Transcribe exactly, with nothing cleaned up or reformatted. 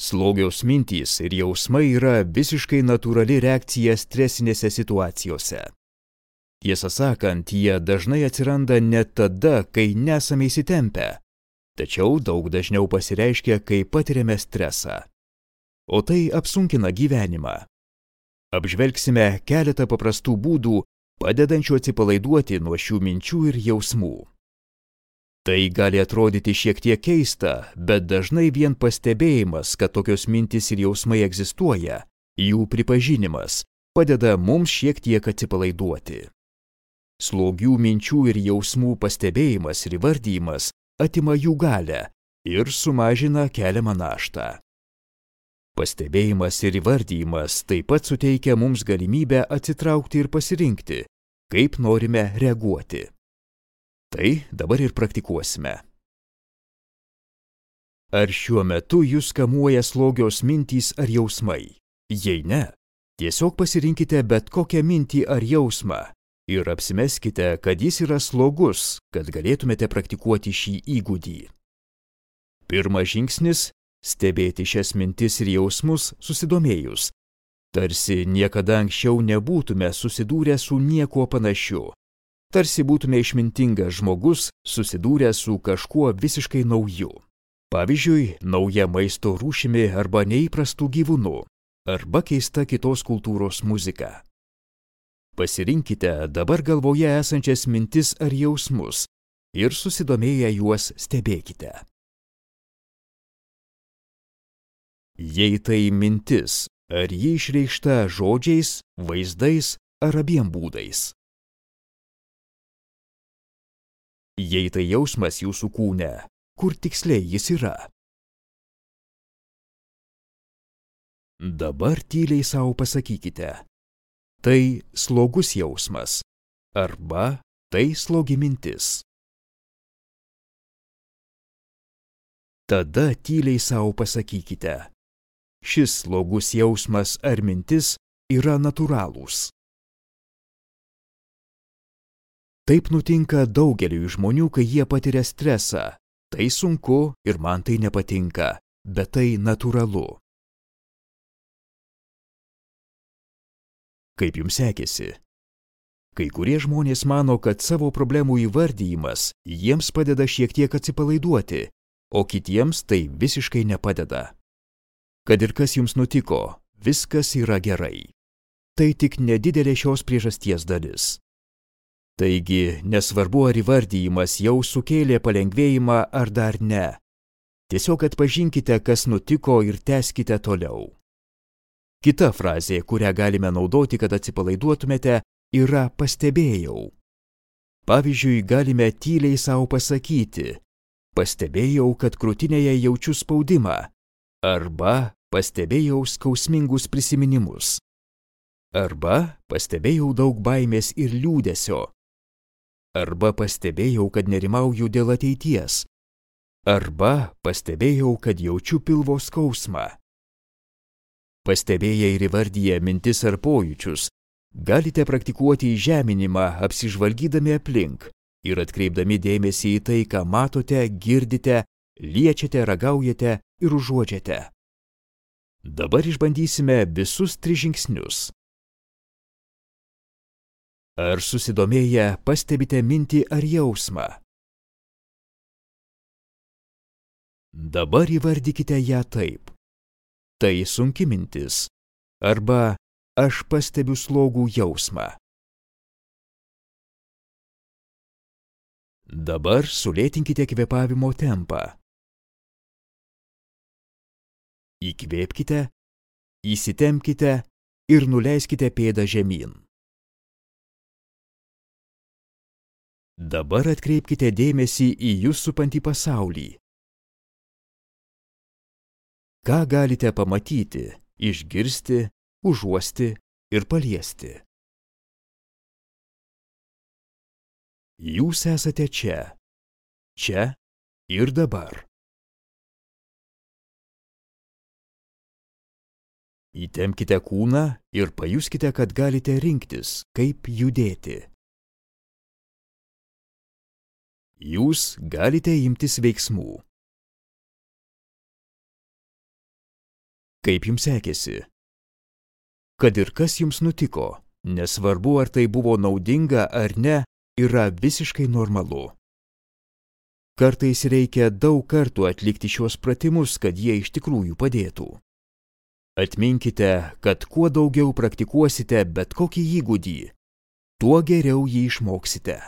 Slogios mintys ir jausmai yra visiškai natūrali reakcija stresinėse situacijose. Tiesą sakant, jie dažnai atsiranda net tada, kai nesame įsitempę, tačiau daug dažniau pasireiškia, kai patiriame stresą. O tai apsunkina gyvenimą. Apžvelgsime keletą paprastų būdų, padedančių atsipalaiduoti nuo šių minčių ir jausmų. Tai gali atrodyti šiek tiek keista, bet dažnai vien pastebėjimas, kad tokios mintys ir jausmai egzistuoja, jų pripažinimas, padeda mums šiek tiek atsipalaiduoti. Slogių minčių ir jausmų pastebėjimas ir įvardijimas atima jų galią ir sumažina keliamą naštą. Pastebėjimas ir įvardijimas taip pat suteikia mums galimybę atsitraukti ir pasirinkti, kaip norime reaguoti. Tai dabar ir praktikuosime. Ar šiuo metu jūs kamuoja slogios mintys ar jausmai? Jei ne, tiesiog pasirinkite bet kokią mintį ar jausmą ir apsimeskite, kad jis yra slogus, kad galėtumėte praktikuoti šį įgūdį. Pirmas žingsnis – stebėti šias mintis ir jausmus susidomėjus, tarsi niekada anksčiau nebūtume susidūrę su niekuo panašiu. Tarsi būtume išmintingas žmogus, susidūręs su kažkuo visiškai nauju. Pavyzdžiui, nauja maisto rūšimi arba neįprastų gyvūnų, arba keista kitos kultūros muzika. Pasirinkite dabar galvoje esančias mintis ar jausmus ir susidomėję juos stebėkite. Jei tai mintis, ar ji išreikšta žodžiais, vaizdais ar abiem būdais. Jei tai jausmas jūsų kūne, kur tiksliai jis yra? Dabar tyliai savo pasakykite. Tai slogus jausmas arba tai slogi mintis. Tada tyliai savo pasakykite. Šis slogus jausmas ar mintis yra natūralūs. Taip nutinka daugeliui žmonių, kai jie patiria stresą. Tai sunku ir man tai nepatinka, bet tai natūralu. Kaip jums sekėsi? Kai kurie žmonės mano, kad savo problemų įvardijimas jiems padeda šiek tiek atsipalaiduoti, o kitiems tai visiškai nepadeda. Kad ir kas jums nutiko, viskas yra gerai. Tai tik nedidelė šios priežasties dalis. Taigi, nesvarbu, ar įvardijimas jau sukėlė palengvėjimą ar dar ne. Tiesiog atpažinkite, kas nutiko ir tęskite toliau. Kita frazė, kurią galime naudoti, kad atsipalaiduotumėte, yra pastebėjau. Pavyzdžiui, galime tyliai savo pasakyti, pastebėjau, kad krūtinėje jaučiu spaudimą, arba pastebėjau skausmingus prisiminimus, arba pastebėjau daug baimės ir liūdesio, arba pastebėjau, kad nerimauju dėl ateities, arba pastebėjau, kad jaučiu pilvo skausmą. Pastebėję ir įvardiję mintis ar pojūčius, galite praktikuoti įžeminimą apsižvalgydami aplink ir atkreipdami dėmesį į tai, ką matote, girdite, liečiate, ragaujate ir užuodžiate. Dabar išbandysime visus tris žingsnius. Ar susidomėję pastebite mintį ar jausmą? Dabar įvardykite ją taip. Tai sunki mintis. Arba aš pastebiu slogų jausmą. Dabar sulėtinkite kvėpavimo tempą. Įkvėpkite, įsitempkite ir nuleiskite pėdą žemyn. Dabar atkreipkite dėmesį į jus supantį pasaulį. Ką galite pamatyti, išgirsti, užuosti ir paliesti? Jūs esate čia, čia ir dabar. Įtempkite kūną ir pajuskite, kad galite rinktis, kaip judėti. Jūs galite imtis veiksmų. Kaip jums sekėsi? Kad ir kas jums nutiko, nesvarbu ar tai buvo naudinga ar ne, yra visiškai normalu. Kartais reikia daug kartų atlikti šiuos pratimus, kad jie iš tikrųjų padėtų. Atminkite, kad kuo daugiau praktikuosite bet kokį įgūdį, tuo geriau jį išmoksite.